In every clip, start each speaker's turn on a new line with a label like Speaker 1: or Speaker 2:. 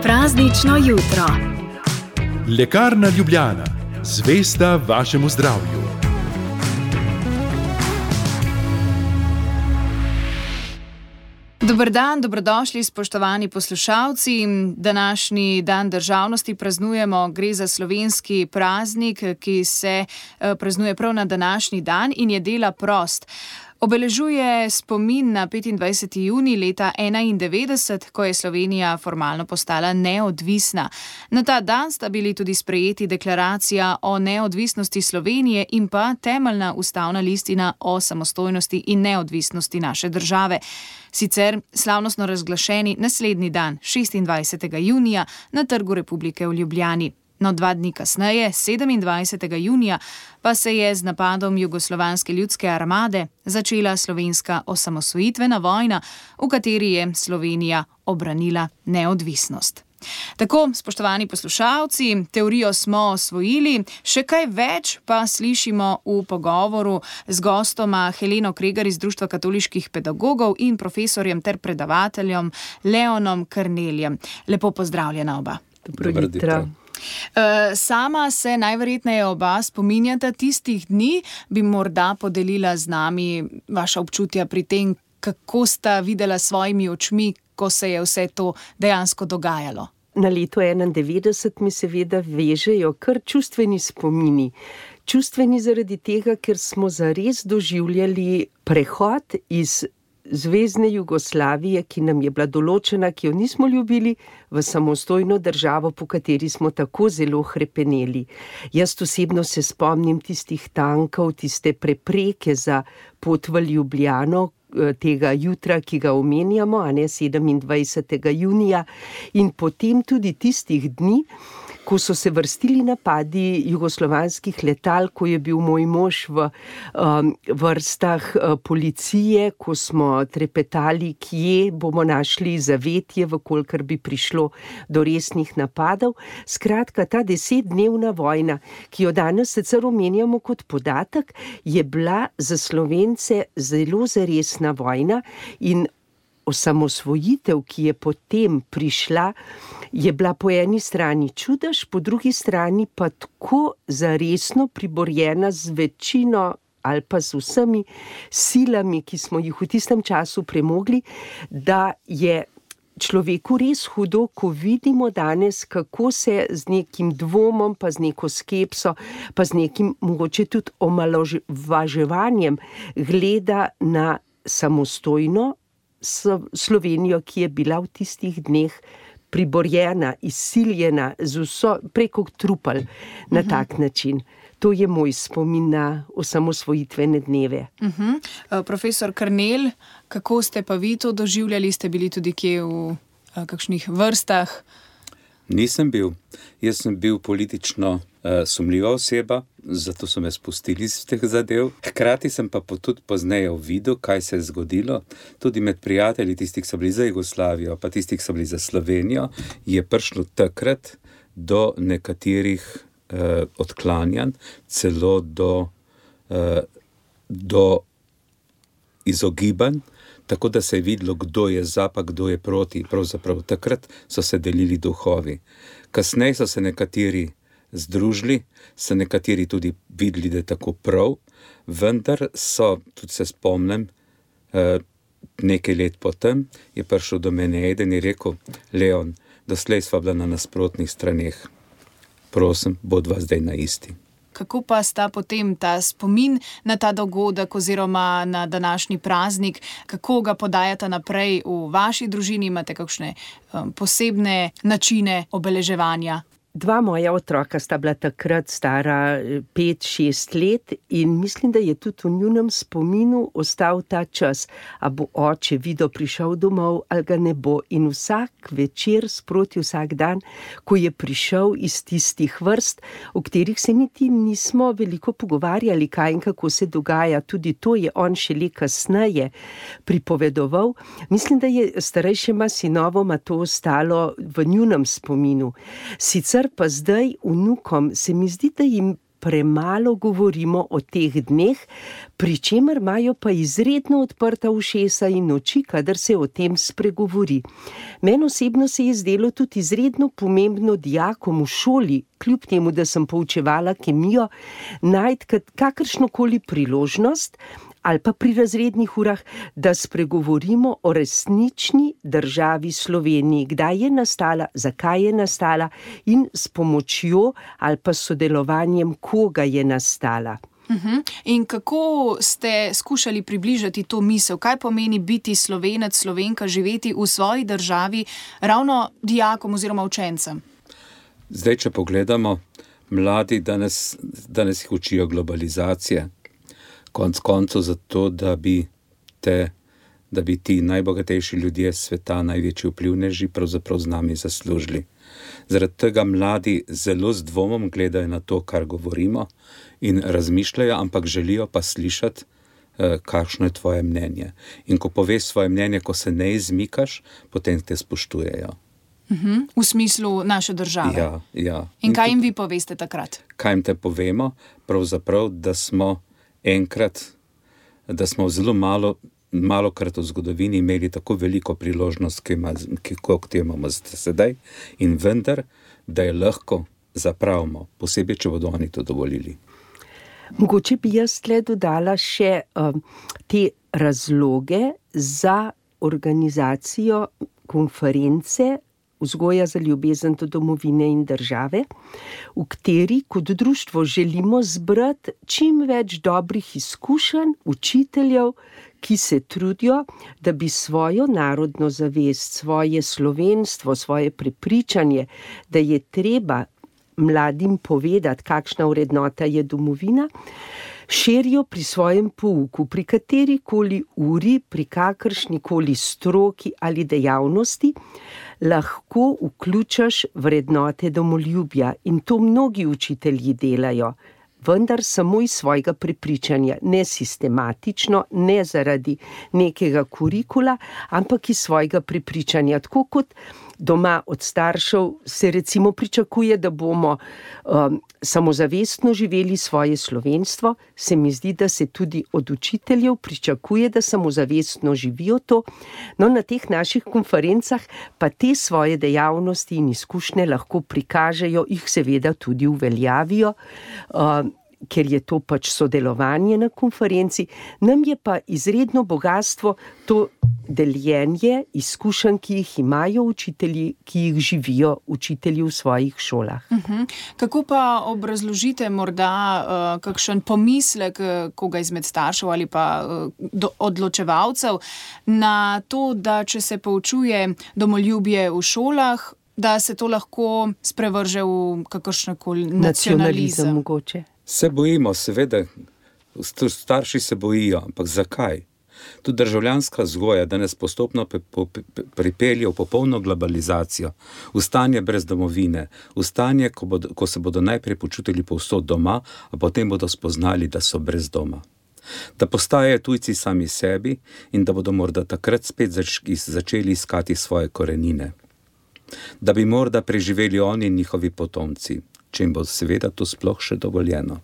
Speaker 1: Praznično jutro.
Speaker 2: Lekarna Ljubljana, zvesta vašemu zdravju.
Speaker 3: Dober dan, dobrodošli spoštovani poslušalci. Današnji dan državnosti praznujemo, gre za slovenski praznik, ki se praznuje prav na današnji dan in je dela prost. Obeležuje spomin na 25. junij leta 1991, ko je Slovenija formalno postala neodvisna. Na ta dan sta bili tudi sprejeti deklaracija o neodvisnosti Slovenije in pa temeljna ustavna listina o samostojnosti in neodvisnosti naše države. Sicer slavnostno razglašeni naslednji dan, 26. junija, na Trgu Republike v Ljubljani. No, 2 dni kasneje, 27. junija, pa se je z napadom Jugoslovanske ljudske armade začela slovenska osamosvojitvena vojna, v kateri je Slovenija obranila neodvisnost. Tako, spoštovani poslušalci, teorijo smo osvojili, še kaj več pa slišimo v pogovoru z gostoma Heleno Kregar iz Društva katoliških pedagogov in profesorjem ter predavateljem Leonom Karneljem. Lepo pozdravljena oba.
Speaker 4: Dobro jutro.
Speaker 3: Sama se najverjetneje oba spominjata tistih dni, bi morda podelila z nami vaša občutja pri tem, kako sta videla svojimi očmi, ko se je vse to dejansko dogajalo.
Speaker 4: Na leto 91 mi seveda vežejo kar čustveni spomini. Čustveni zaradi tega, ker smo zares doživljali prehod iz Zvezne Jugoslavije, ki nam je bila določena, ki jo nismo ljubili, v samostojno državo, po kateri smo tako zelo hrepeneli. Jaz osebno se spomnim tistih tankov, tiste prepreke za pot v Ljubljano, tega jutra, ki ga omenjamo, a ne 27. junija, in potem tudi tistih dni, ko so se vrstili napadi jugoslovanskih letal, ko je bil moj mož v vrstah policije, ko smo trepetali, kje bomo našli zavetje, vkolikor bi prišlo do resnih napadov. Skratka, ta 10-dnevna vojna, ki jo danes sicer omenjamo kot podatek, je bila za Slovence zelo zaresna vojna in osamosvojitev, ki je potem prišla, je bila po eni strani čudež, po drugi strani pa tako zaresno priborjena z večino ali pa z vsemi silami, ki smo jih v tistem času premogli, da je človeku res hudo, ko vidimo danes, kako se z nekim dvomom, pa z neko skepso, pa z nekim mogoče tudi omalovaževanjem gleda na samostojno Slovenijo, ki je bila v tistih dneh priborjena, izsiljena z vso preko trupel na tak način. To je moj spomin na osamosvojitvene dneve.
Speaker 3: Profesor Karnelj, kako ste pa vi to doživljali? Ste bili tudi kje v kakšnih vrstah?
Speaker 5: Nisem bil. Jaz sem bil politično sumljiva oseba, zato so me spustili iz teh zadev. Hkrati sem pa tudi pozneje videl, kaj se je zgodilo. Tudi med prijatelji, tistih, ki so bili za Jugoslavijo, pa tistih, ki so bili za Slovenijo, je prišlo takrat do nekaterih odklanjanj, celo do izogibanj, tako da se je videlo, kdo je za, pa kdo je proti. Pravzaprav takrat so se delili duhovi. Kasneje so se nekateri združili, so nekateri tudi videli, da je tako prav, vendar so, tudi se spomnim, nekaj let potem je prišel do mene eden in rekel: Leon, doslej sva bila na nasprotnih straneh. Prosim, bodva zdaj na isti.
Speaker 3: Kako pa sta potem ta spomin na ta dogodek oziroma na današnji praznik, kako ga podajata naprej v vaši družini? Imate kakšne posebne načine obeleževanja?
Speaker 4: 2 moja otroka sta bila takrat stara 5-6 let in mislim, da je tudi v njunem spominu ostal ta čas, a bo oče Vido prišel domov ali ga ne bo. In vsak večer, sproti vsak dan, ko je prišel iz tistih vrst, o katerih se niti nismo veliko pogovarjali, kaj in kako se dogaja, tudi to je on šele kasneje pripovedoval. Mislim, da je starejšima sinovoma to ostalo v njunem spominu. Sicer pa zdaj vnukom se mi zdi, da jim premalo govorimo o teh dneh, pri čemer imajo pa izredno odprta ušesa in oči, kadar se o tem spregovori. Meni osebno se je zdelo tudi izredno pomembno dijakom v šoli, kljub temu, da sem poučevala kemijo, najti kakršnokoli priložnost ali pa pri razrednih urah, da spregovorimo o resnični državi Sloveniji, kdaj je nastala, zakaj je nastala in s pomočjo ali pa sodelovanjem koga je nastala.
Speaker 3: In kako ste skušali približati to misel? Kaj pomeni biti Slovenec, Slovenka, živeti v svoji državi ravno dijakom oziroma učencem?
Speaker 5: Zdaj, če pogledamo, mladi danes jih učijo globalizacije. Konec koncev zato, da bi ti najbogatejši ljudje sveta, največji vplivneži, pravzaprav z nami zaslužili. Zaradi tega mladi zelo z dvomom gledajo na to, kar govorimo in razmišljajo, ampak želijo pa slišati, kakšno je tvoje mnenje. In ko poveš svoje mnenje, ko se ne izmikaš, potem te spoštujejo.
Speaker 3: V smislu naše države.
Speaker 5: Ja.
Speaker 3: In kaj jim vi poveste takrat?
Speaker 5: Kaj jim te povemo? Pravzaprav, da smo zelo malokrat v zgodovini imeli tako veliko priložnost, kot imamo sedaj, in vendar, da je lahko zapravimo, posebej, če bodo oni to dovolili.
Speaker 4: Mogoče bi jaz tle dodala še te razloge za organizacijo konference Vzgoja za ljubezen do domovine in države, v kateri kot društvo želimo zbrati čim več dobrih izkušenj učiteljev, ki se trudijo, da bi svojo narodno zavest, svoje slovenstvo, svoje prepričanje, da je treba mladim povedati, kakšna vrednota je domovina, širijo pri svojem pouku, pri katerikoli uri, pri kakršnikoli stroki ali dejavnosti, lahko vključaš vrednote domoljubja in to mnogi učitelji delajo, vendar samo iz svojega prepričanja, ne sistematično, ne zaradi nekega kurikula, ampak iz svojega prepričanja, tako kot doma od staršev se recimo pričakuje, da bomo samozavestno živeli svoje slovenstvo, se mi zdi, da se tudi od učiteljev pričakuje, da samozavestno živijo to. No, na teh naših konferencah pa te svoje dejavnosti in izkušnje lahko prikažejo, jih seveda tudi uveljavijo, ker je to pač sodelovanje na konferenci. Nam je pa izredno bogatstvo to deljenje izkušenj, ki jih imajo učitelji, ki jih živijo učitelji v svojih šolah.
Speaker 3: Kako pa obrazložite morda kakšen pomislek koga izmed staršev ali pa odločevalcev na to, da če se poučuje domoljubje v šolah, da se to lahko sprevrže v kakršnekoli nacionalizem?
Speaker 4: Mogoče.
Speaker 5: Se bojimo, seveda, starši se bojijo, ampak zakaj? Tudi državljanska vzgoja danes postopno pripelje v popolno globalizacijo, v stanje brez domovine, v stanje, ko se bodo najprej počutili povsod doma, a potem bodo spoznali, da so brez doma. Da postajajo tujci sami sebi in da bodo morda takrat spet začeli iskati svoje korenine. Da bi morda preživeli oni in njihovi potomci, če jim bo seveda to sploh še dovoljeno.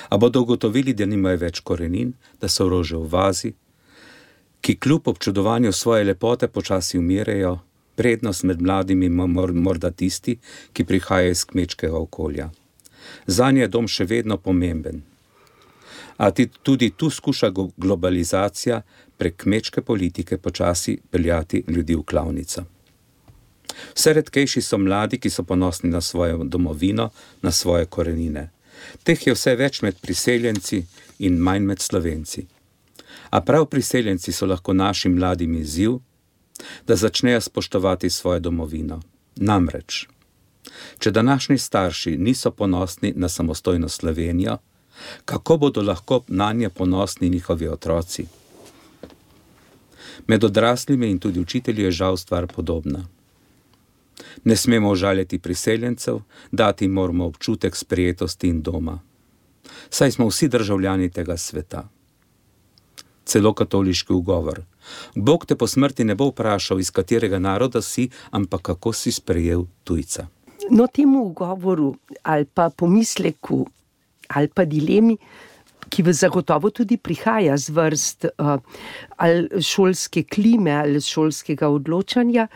Speaker 5: A bodo ugotovili, da nimajo več korenin, da so rože v vazi, ki kljub občudovanju svoje lepote počasi umirajo, prednost med mladimi morda tisti, ki prihajajo iz kmečkega okolja. Zanje je dom še vedno pomemben. A tudi tu skuša globalizacija prek kmečke politike počasi peljati ljudi v klavnico. Vse redkejši so mladi, ki so ponosni na svojo domovino, na svoje korenine. Teh je vse več med priseljenci in manj med Slovenci. A prav priseljenci so lahko našim mladim izziv, da začnejo spoštovati svojo domovino. Namreč, če današnji starši niso ponosni na samostojno Slovenijo, kako bodo lahko nanje ponosni njihovi otroci? Med odraslimi in tudi učitelji je žal stvar podobna. Ne smemo užaljati priseljencev, dati moramo občutek sprejetosti in doma. Saj smo vsi državljani tega sveta. Celo katoliški ugovor. Bog te po smrti ne bo vprašal, iz katerega naroda si, ampak kako si sprejel tujca.
Speaker 4: No, temu ugovoru ali pa pomisleku ali pa dilemi, ki zagotovo tudi prihaja z vrst ali šolske klime ali šolskega odločanja,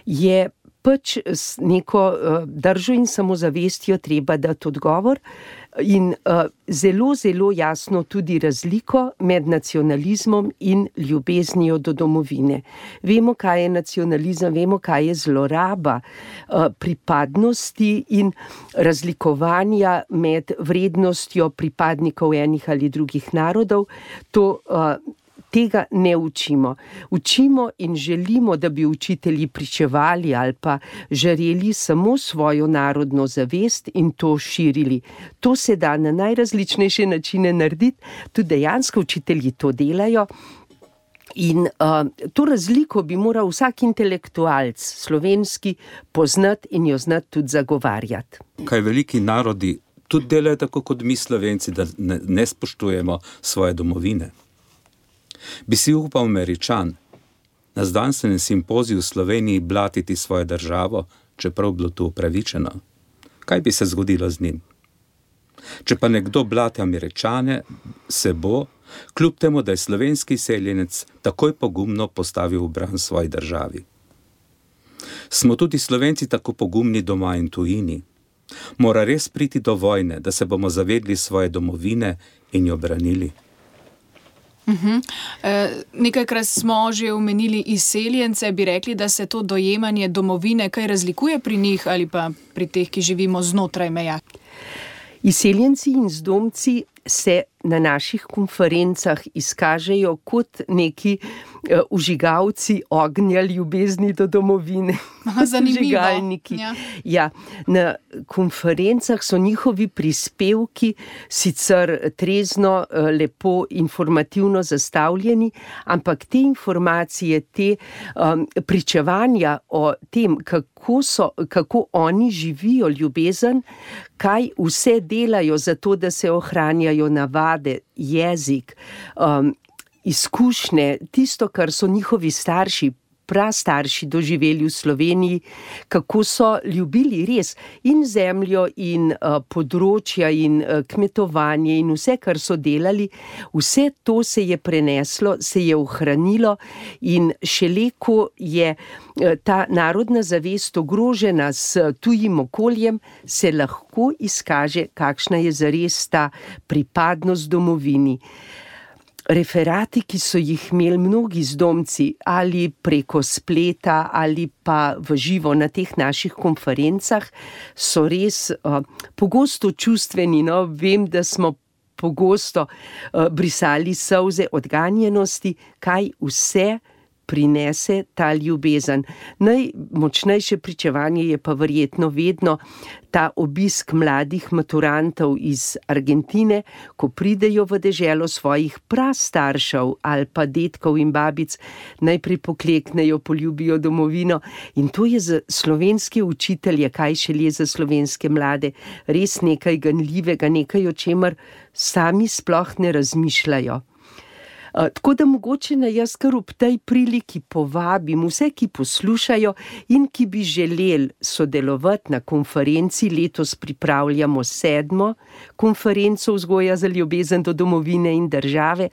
Speaker 4: je pač s neko držo in samozavestjo treba dati odgovor in zelo, zelo jasno tudi razliko med nacionalizmom in ljubeznijo do domovine. Vemo, kaj je nacionalizem, vemo, kaj je zloraba pripadnosti in razlikovanja med vrednostjo pripadnikov enih ali drugih narodov. Tega ne učimo. Učimo in želimo, da bi učitelji pričevali ali pa žareli samo svojo narodno zavest in to širili. To se da na najrazličnejše načine narediti, tudi dejansko učitelji to delajo. In to razliko bi moral vsak intelektualc slovenski poznati in jo znati tudi zagovarjati.
Speaker 5: Kaj veliki narodi tudi delajo tako kot mi Slovenci, da ne spoštujemo svoje domovine. Bi si upal Američan na znanstvenem simpoziju v Sloveniji blatiti svojo državo, čeprav bilo to upravičeno? Kaj bi se zgodilo z njim? Če pa nekdo blati Američane, se bo, kljub temu, da je slovenski izseljenec takoj pogumno postavil v bran svoji državi. Smo tudi Slovenci tako pogumni doma in tujini? Mora res priti do vojne, da se bomo zavedli svoje domovine in jo branili?
Speaker 3: Nekajkrat smo že omenili izseljence, bi rekli, da se to dojemanje domovine kaj razlikuje pri njih ali pa pri teh, ki živimo znotraj meja?
Speaker 4: Izseljenci in zdomci se na naših konferencah izkažejo kot neki vžigalci ognja ljubezni do domovine. Vžigalniki. Ja, na konferencah so njihovi prispevki sicer trezno, lepo, informativno zastavljeni, ampak te informacije, te pričevanja o tem, kako oni živijo ljubezen, kaj vse delajo za to, da se ohranjajo navade, jezik, izkušnje, tisto, kar so njihovi starši, prastarši doživeli v Sloveniji, kako so ljubili res in zemljo in področja in kmetovanje in vse, kar so delali, vse to se je preneslo, se je ohranilo in šele ko je ta narodna zavest ogrožena s tujim okoljem, se lahko izkaže, kakšna je zares ta pripadnost domovini. Referati, ki so jih imeli mnogi zdomci ali preko spleta ali pa v živo na teh naših konferencah, so res pogosto čustveni. Vem, da smo pogosto brisali solze odganjenosti, kaj vse prinese ta ljubezen. Najmočnejše pričevanje je pa verjetno vedno ta obisk mladih maturantov iz Argentine, ko pridejo v deželo svojih prastaršev ali pa dedkov in babic, najprej pokleknejo, poljubijo domovino in to je za slovenske učitelje, kaj šele za slovenske mlade, res nekaj ganljivega, nekaj, o čemer sami sploh ne razmišljajo. Tako da mogoče jaz kar ob tej priliki povabim vse, ki poslušajo in ki bi želeli sodelovati na konferenci. Letos pripravljamo 7. konferenco Vzgoja za ljubezen do domovine in države.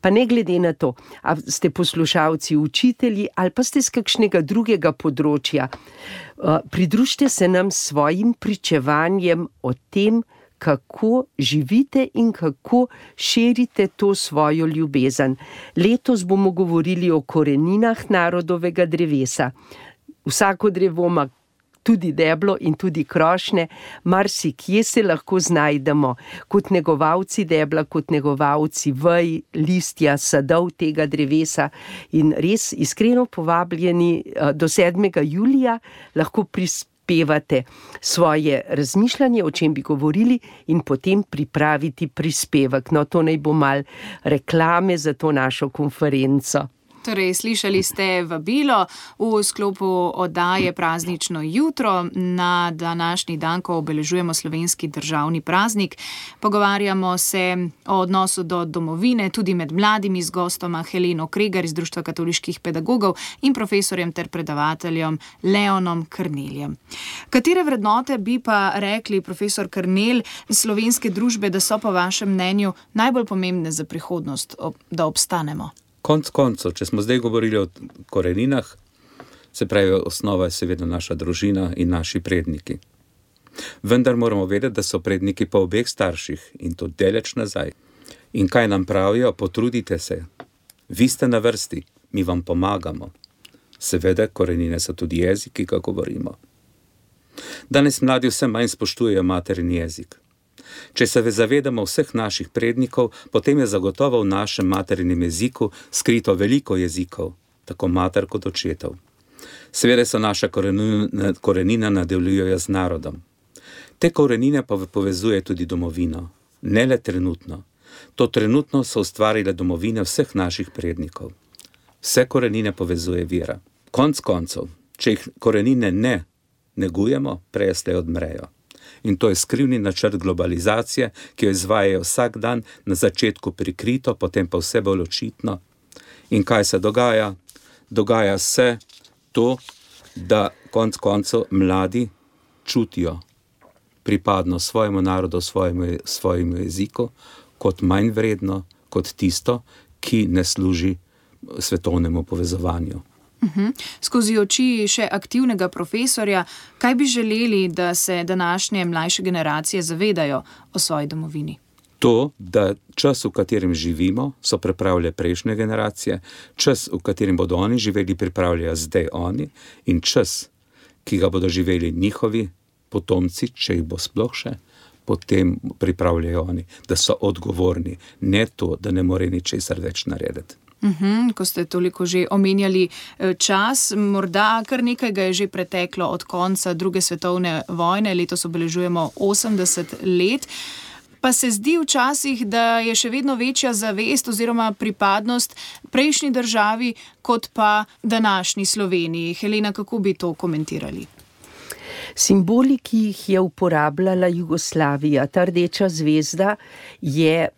Speaker 4: Pa ne glede na to, a ste poslušalci učitelji ali pa ste z kakšnega drugega področja, pridružite se nam s svojim pričevanjem o tem, kako živite in kako širite to svojo ljubezen. Letos bomo govorili o koreninah narodovega drevesa. Vsako drevo ima tudi deblo in tudi krošnje, marsikje se lahko znajdemo kot negovalci debla, kot negovalci vej, listja, sadov tega drevesa in res iskreno povabljeni do 7. julija lahko prispevate svoje razmišljanje, o čem bi govorili in potem pripraviti prispevek. To naj bo malo reklame za to našo konferenco.
Speaker 3: Torej, slišali ste vabilo v sklopu oddaje Praznično jutro na današnji dan, ko obeležujemo slovenski državni praznik. Pogovarjamo se o odnosu do domovine, tudi med mladimi, z gostoma Heleno Kregar iz Društva katoliških pedagogov in profesorjem ter predavateljem Leonom Krneljem. Katere vrednote bi pa rekli, profesor Krnelj, slovenske družbe, da so po vašem mnenju najbolj pomembne za prihodnost, da obstanemo?
Speaker 5: Konec koncev, če smo zdaj govorili o koreninah, se pravi, osnova je seveda naša družina in naši predniki. Vendar moramo vedeti, da so predniki po obeh starših in to daleč nazaj. In kaj nam pravijo? Potrudite se. Vi ste na vrsti, mi vam pomagamo. Seveda, korenine so tudi jezik, ki ga govorimo. Danes mladi vse manj spoštujejo materin jezik. Če se zavedamo vseh naših prednikov, potem je zagotovo v našem materinem jeziku skrito veliko jezikov, tako mater kot očetov. Seveda se naša korenina nadaljujejo z narodom. Te korenine pa povezuje tudi domovino, ne le trenutno. To trenutno so ustvarile domovine vseh naših prednikov. Vse korenine povezuje vera. Konec koncev, če jih korenine ne negujemo, prej slej odmrejo. In to je skrivni načrt globalizacije, ki jo izvajajo vsak dan, na začetku prikrito, potem pa vse bolj očitno. In kaj se dogaja? Dogaja se to, da konec koncev mladi čutijo pripadnost svojemu narodu, svojemu jeziku, kot manj vredno, kot tisto, ki ne služi svetovnemu povezovanju.
Speaker 3: Skozi oči še aktivnega profesorja, kaj bi želeli, da se današnje mlajše generacije zavedajo o svoji domovini?
Speaker 5: To, da čas, v katerem živimo, so pripravljali prejšnje generacije, čas, v katerem bodo oni živeli, pripravljajo zdaj oni, in čas, ki ga bodo živeli njihovi potomci, če jih bo sploh še, potem pripravljajo oni, da so odgovorni, ne to, da ne more ničesar več narediti.
Speaker 3: Ko ste toliko že omenjali čas, morda kar nekaj ga je že preteklo od konca druge svetovne vojne, letos obeležujemo 80 let, pa se zdi včasih, da je še vedno večja zavest oziroma pripadnost prejšnji državi kot pa današnji Sloveniji. Helena, kako bi to komentirali?
Speaker 4: Simboli, ki jih je uporabljala Jugoslavija, ta rdeča zvezda, je...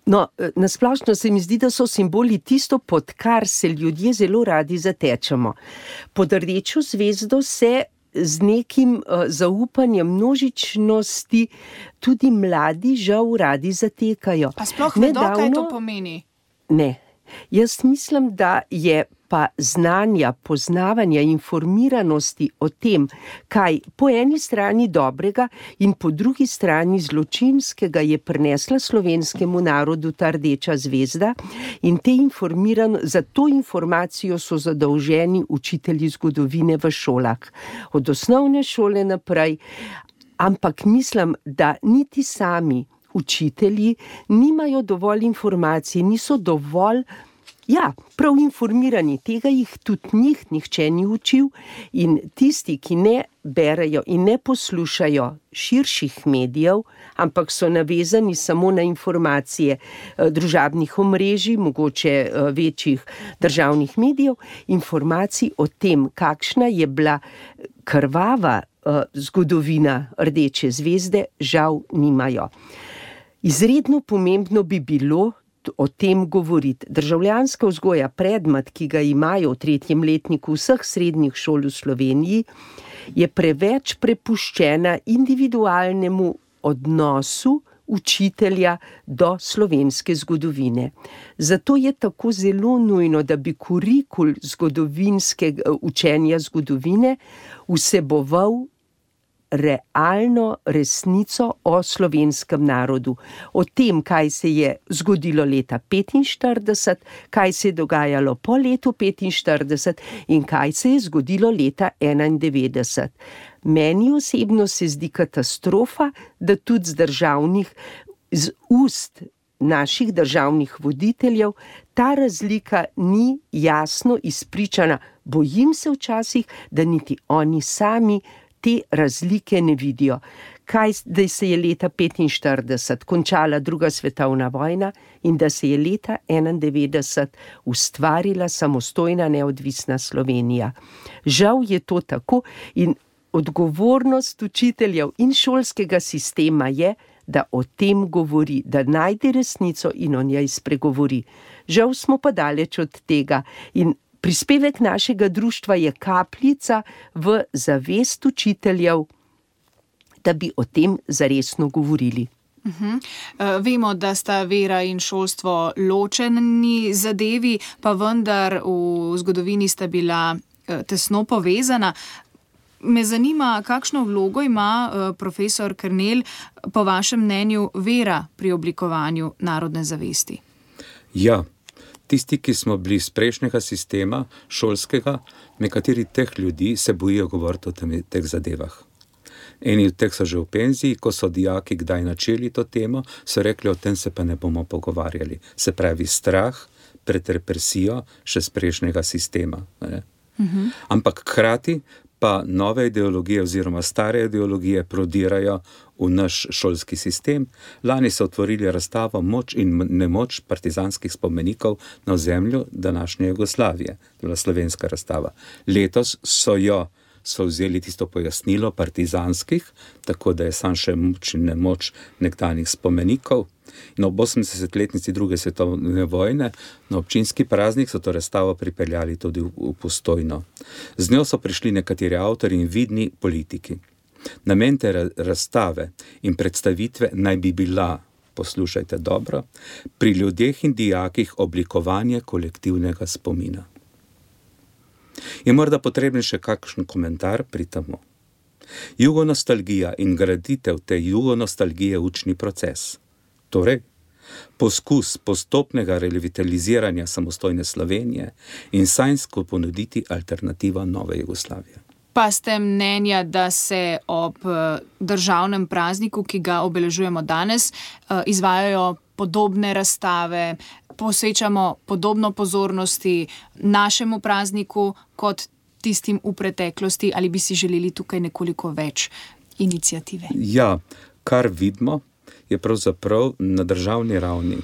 Speaker 4: No, nasplošno se mi zdi, da so simboli tisto, pod kar se ljudje zelo radi zatečemo. Pod rdečo zvezdo se z nekim zaupanjem množičnosti tudi mladi žal radi zatekajo.
Speaker 3: A sploh vedo, kaj to pomeni?
Speaker 4: Ne. Jaz mislim, da je pa znanja, poznavanja, informiranosti o tem, kaj po eni strani dobrega in po drugi strani zločinskega je prinesla slovenskemu narodu ta rdeča zvezda, in za to informacijo so zadolženi učitelji zgodovine v šolah. Od osnovne šole naprej, ampak mislim, da niti sami učitelji nimajo dovolj informacij, niso dovolj prav informirani, tega jih tudi nihče ni učil, in tisti, ki ne berejo in ne poslušajo širših medijev, ampak so navezani samo na informacije družabnih omrežij, mogoče večjih državnih medijev, informacij o tem, kakšna je bila krvava zgodovina rdeče zvezde, žal nimajo. Izredno pomembno bi bilo o tem govoriti. Državljanska vzgoja, predmet, ki ga imajo v 3. letniku vseh srednjih šol v Sloveniji, je preveč prepuščena individualnemu odnosu učitelja do slovenske zgodovine. Zato je tako zelo nujno, da bi kurikul zgodovinskega učenja zgodovine vseboval realno resnico o slovenskem narodu. O tem, kaj se je zgodilo leta 1945, kaj se je dogajalo po letu 1945 in kaj se je zgodilo leta 1991. Meni osebno se zdi katastrofa, da tudi z ust naših državnih voditeljev ta razlika ni jasno izpričana. Bojim se včasih, da niti oni sami te razlike ne vidijo. da se je leta 1945 končala druga svetovna vojna in da se je leta 1991 ustvarila samostojna neodvisna Slovenija. Žal je to tako in odgovornost učiteljev in šolskega sistema je, da o tem govori, da najde resnico in o njej spregovori. Žal smo pa daleč od tega in prispevek našega društva je kapljica v zavest učiteljev, da bi o tem zaresno govorili.
Speaker 3: Vemo, da sta vera in šolstvo ločeni zadevi, pa vendar v zgodovini sta bila tesno povezana. Me zanima, kakšno vlogo ima profesor Kernel, po vašem mnenju, vera pri oblikovanju narodne zavesti?
Speaker 5: Ja, tisti, ki smo bili iz prejšnjega sistema, šolskega, nekateri teh ljudi se bojijo govoriti o teh zadevah. Eni od teh so že v penziji, ko so dijaki kdaj načeli to temo, so rekli, o tem se pa ne bomo pogovarjali. Se pravi, strah pred represijo še z prejšnjega sistema. Ampak hkrati pa nove ideologije oziroma stare ideologije prodirajo v naš šolski sistem. Lani so otvorili razstavo Moč in nemoč partizanskih spomenikov na ozemlju današnje Jugoslavije. To je bila slovenska razstava. Letos so vzeli tisto pojasnilo partizanskih, tako da je sam še moč in nemoč nekdanjih spomenikov. In ob 80-letnici druge svetovne vojne na občinski praznik so to razstavo pripeljali tudi v Postojno. Z njo so prišli nekateri avtori in vidni politiki. Namen te razstave in predstavitve naj bi bila, poslušajte dobro, pri ljudeh in dijakih oblikovanje kolektivnega spomina. Je morda potreben še kakšen komentar pri temu. Jugonostalgija in graditev te jugonostalgije učni proces. Torej, poskus postopnega revitaliziranja samostojne Slovenije in sanjsko ponuditi alternativo nove Jugoslavije.
Speaker 3: Pa ste mnenja, da se ob državnem prazniku, ki ga obeležujemo danes, izvajajo podobne razstave, posvečamo podobno pozornosti našemu prazniku kot tistim v preteklosti, ali bi si želeli tukaj nekoliko več iniciative?
Speaker 5: Ja, kar vidimo, je pravzaprav na državni ravni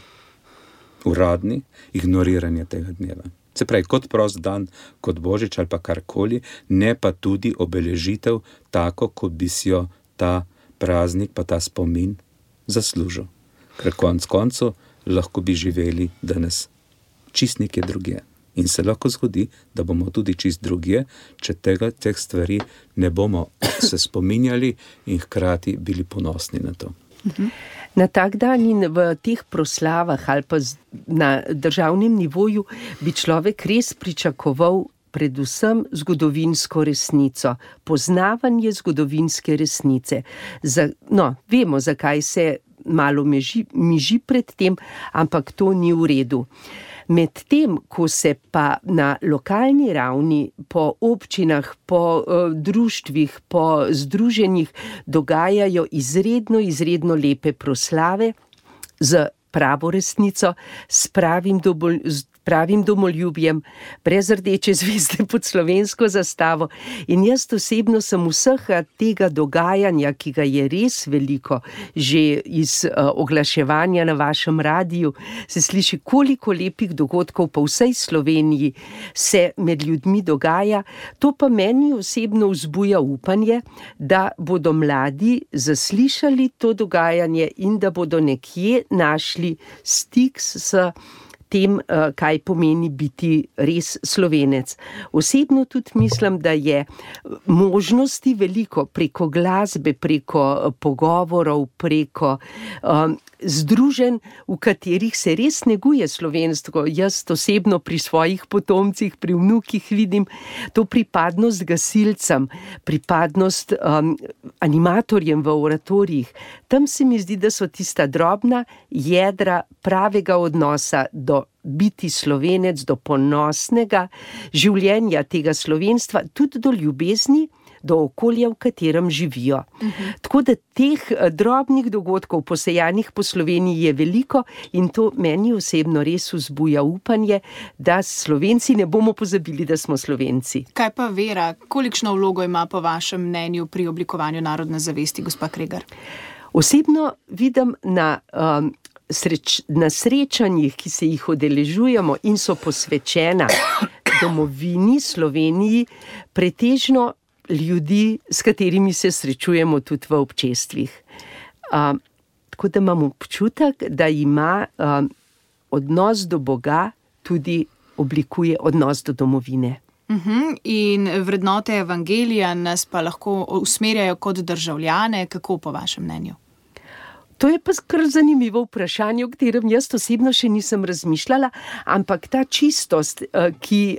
Speaker 5: uradni ignoriranje tega dneva. Se pravi, kot prost dan, kot Božič ali pa karkoli, ne pa tudi obeležitev tako, kot bi si jo ta praznik pa ta spomin zaslužil. Ker konec koncev lahko bi živeli danes čist nekje drugje. In se lahko zgodi, da bomo tudi čist drugje, če teh stvari ne bomo se spominjali in hkrati bili ponosni na to.
Speaker 4: Na tak dan in v teh proslavah ali pa na državnem nivoju bi človek res pričakoval predvsem zgodovinsko resnico, poznavanje zgodovinske resnice. Vemo, zakaj se malo miži pred tem, ampak to ni v redu. Medtem, ko se pa na lokalni ravni, po občinah, po društvih, po združenjih dogajajo izredno lepe proslave z pravo resnico, s pravim domoljubjem, brez rdeče zvezde pod slovensko zastavo. In jaz osebno sem vsega tega dogajanja, ki ga je res veliko, že iz oglaševanja na vašem radiju, se sliši, koliko lepih dogodkov po vsej Sloveniji se med ljudmi dogaja. To pa meni osebno vzbuja upanje, da bodo mladi zaslišali to dogajanje in da bodo nekje našli stik s tem, kaj pomeni biti res Slovenec. Osebno tudi mislim, da je možnosti veliko preko glasbe, preko pogovorov, preko združenj, v katerih se res neguje slovenstvo. Jaz osebno pri svojih potomcih, pri vnukih vidim to pripadnost gasilcem, pripadnost animatorjem v oratorijih. Tam se mi zdi, da so tista drobna jedra pravega odnosa do biti Slovenec, do ponosnega življenja tega slovenstva, tudi do ljubezni do okolja, v katerem živijo. Tako da teh drobnih dogodkov posejanih po Sloveniji je veliko in to meni osebno res vzbuja upanje, da Slovenci ne bomo pozabili, da smo Slovenci.
Speaker 3: Kaj pa vera? Kolikšno vlogo ima po vašem mnenju pri oblikovanju narodne zavesti, gospa Kregar?
Speaker 4: Osebno vidim na srečanjih, ki se jih udeležujemo in so posvečena domovini, Sloveniji, pretežno ljudi, s katerimi se srečujemo tudi v občestvih. Tako da imam občutek, da ima odnos do Boga tudi oblikuje odnos do domovine.
Speaker 3: In vrednote evangelija nas pa lahko usmerjajo kot državljane, kako po vašem mnenju?
Speaker 4: To je pa kar zanimivo vprašanje, o katerem jaz osebno še nisem razmišljala, ampak ta čistost,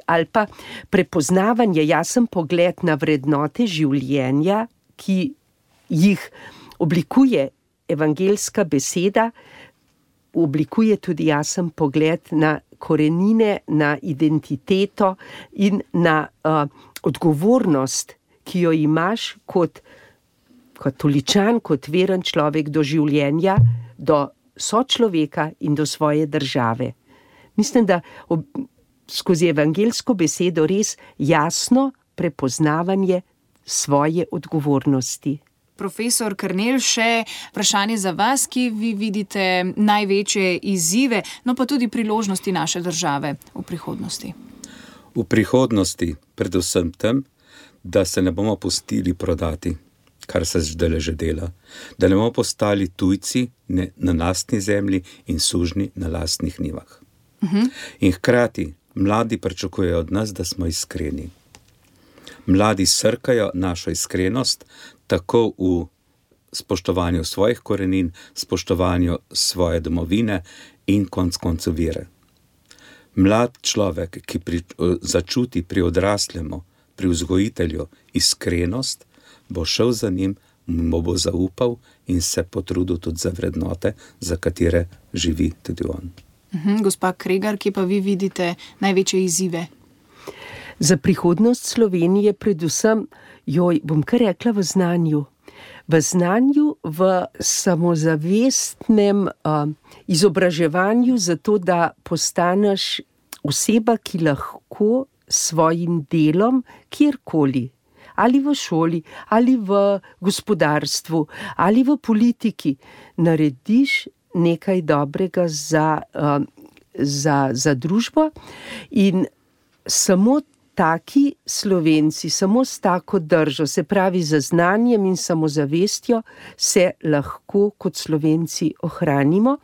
Speaker 4: ali pa prepoznavanje, jasen pogled na vrednote življenja, ki jih oblikuje evangeljska beseda, oblikuje tudi jasen pogled na korenine, na identiteto in na odgovornost, ki jo imaš kot katoličan, kot veren človek do življenja, do sočloveka in do svoje države. Mislim, da skozi evangeljsko besedo res jasno prepoznavanje svoje odgovornosti.
Speaker 3: Profesor Kernel, še vprašanje za vas, ki vi vidite največje izzive, no pa tudi priložnosti naše države v prihodnosti.
Speaker 5: V prihodnosti predvsem tem, da se ne bomo pustili prodati, kar se zdaj že dela, da ne bomo postali tujci na lastni zemlji in sužnji na lastnih njivah. In hkrati mladi pričakujejo od nas, da smo iskreni. Mladi srkajo našo iskrenost tako v spoštovanju svojih korenin, spoštovanju svoje domovine in konec koncev vere. Mlad človek, ki začuti pri odraslemu, pri vzgojitelju iskrenost, bo šel za njim, mu bo zaupal in se potrudil tudi za vrednote, za katere živi tudi on.
Speaker 3: Gospa Kregar, kje pa vi vidite največje izzive?
Speaker 4: Za prihodnost Slovenije predvsem, bom kar rekla, v znanju. V znanju, v samozavestnem izobraževanju, zato da postaneš oseba, ki lahko s svojim delom kjerkoli, ali v šoli, ali v gospodarstvu, ali v politiki, narediš nekaj dobrega za družbo in samo taki Slovenci, samo s tako držo, se pravi z znanjem in samozavestjo, se lahko kot Slovenci ohranimo.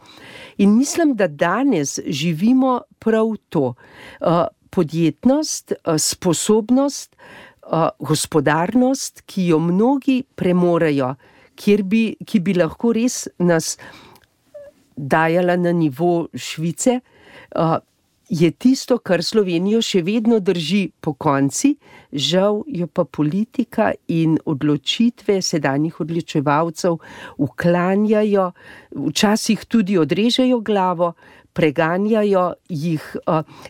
Speaker 4: In mislim, da danes živimo prav to. Podjetnost, sposobnost, gospodarnost, ki jo mnogi premorejo, ki bi lahko res nas dajala na nivo Švice, je tisto, kar Slovenijo še vedno drži pokonci, žal jo pa politika in odločitve sedanjih odločevalcev uklanjajo, včasih tudi odrežejo glavo, preganjajo jih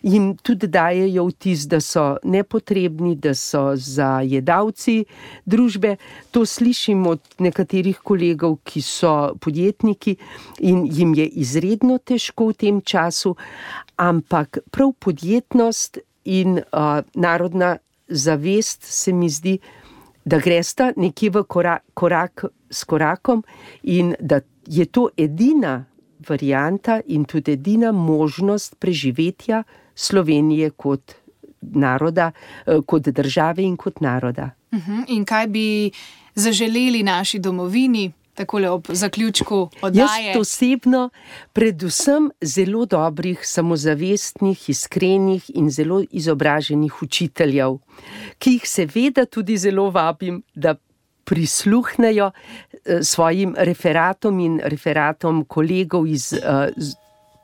Speaker 4: in tudi dajejo vtis, da so nepotrebni, da so zajedavci družbe. To slišim od nekaterih kolegov, ki so podjetniki in jim je izredno težko v tem času, ampak prav podjetnost in narodna zavest se mi zdi, da gresta nekje v korak s korakom in da je to edina varianta in tudi edina možnost preživetja Slovenije kot naroda, kot države in kot naroda.
Speaker 3: In kaj bi zaželeli naši domovini, takole ob zaključku oddaje?
Speaker 4: Jaz osebno predvsem zelo dobrih, samozavestnih, iskrenih in zelo izobraženih učiteljev, ki jih seveda tudi zelo vabim, da prisluhnejo svojim referatom in referatom kolegov iz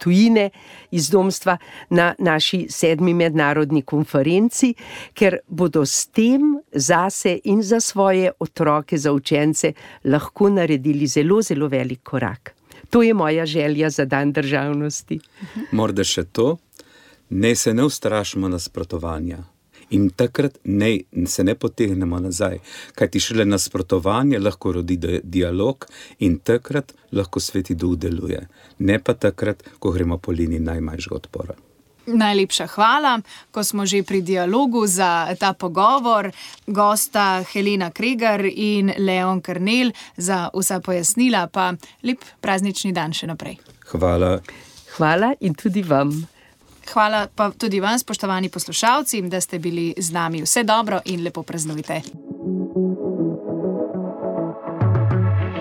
Speaker 4: tujine, iz domstva na naši 7. mednarodni konferenci, ker bodo s tem zase in za svoje otroke, za učence lahko naredili zelo, zelo velik korak. To je moja želja za dan državnosti.
Speaker 5: Morda še to, ne se ne ustrašimo nasprotovanja In takrat se ne potegnemo nazaj, kajti šele nasprotovanje lahko rodi dialog in takrat lahko Sveti Duh deluje. Ne pa takrat, ko gremo po liniji najmanjšega odpora.
Speaker 3: Najlepša hvala, ko smo že pri dialogu za ta pogovor. Gosta Helena Kregar in Leon Kernel za vsa pojasnila, pa lep praznični dan še naprej.
Speaker 5: Hvala.
Speaker 4: Hvala in tudi vam.
Speaker 3: Hvala pa tudi vam, spoštovani poslušalci, da ste bili z nami. Vse dobro in lepo praznujte.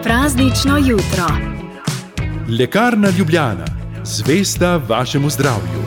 Speaker 1: Praznično jutro.
Speaker 2: Lekarna Ljubljana, zvesta vašemu zdravju.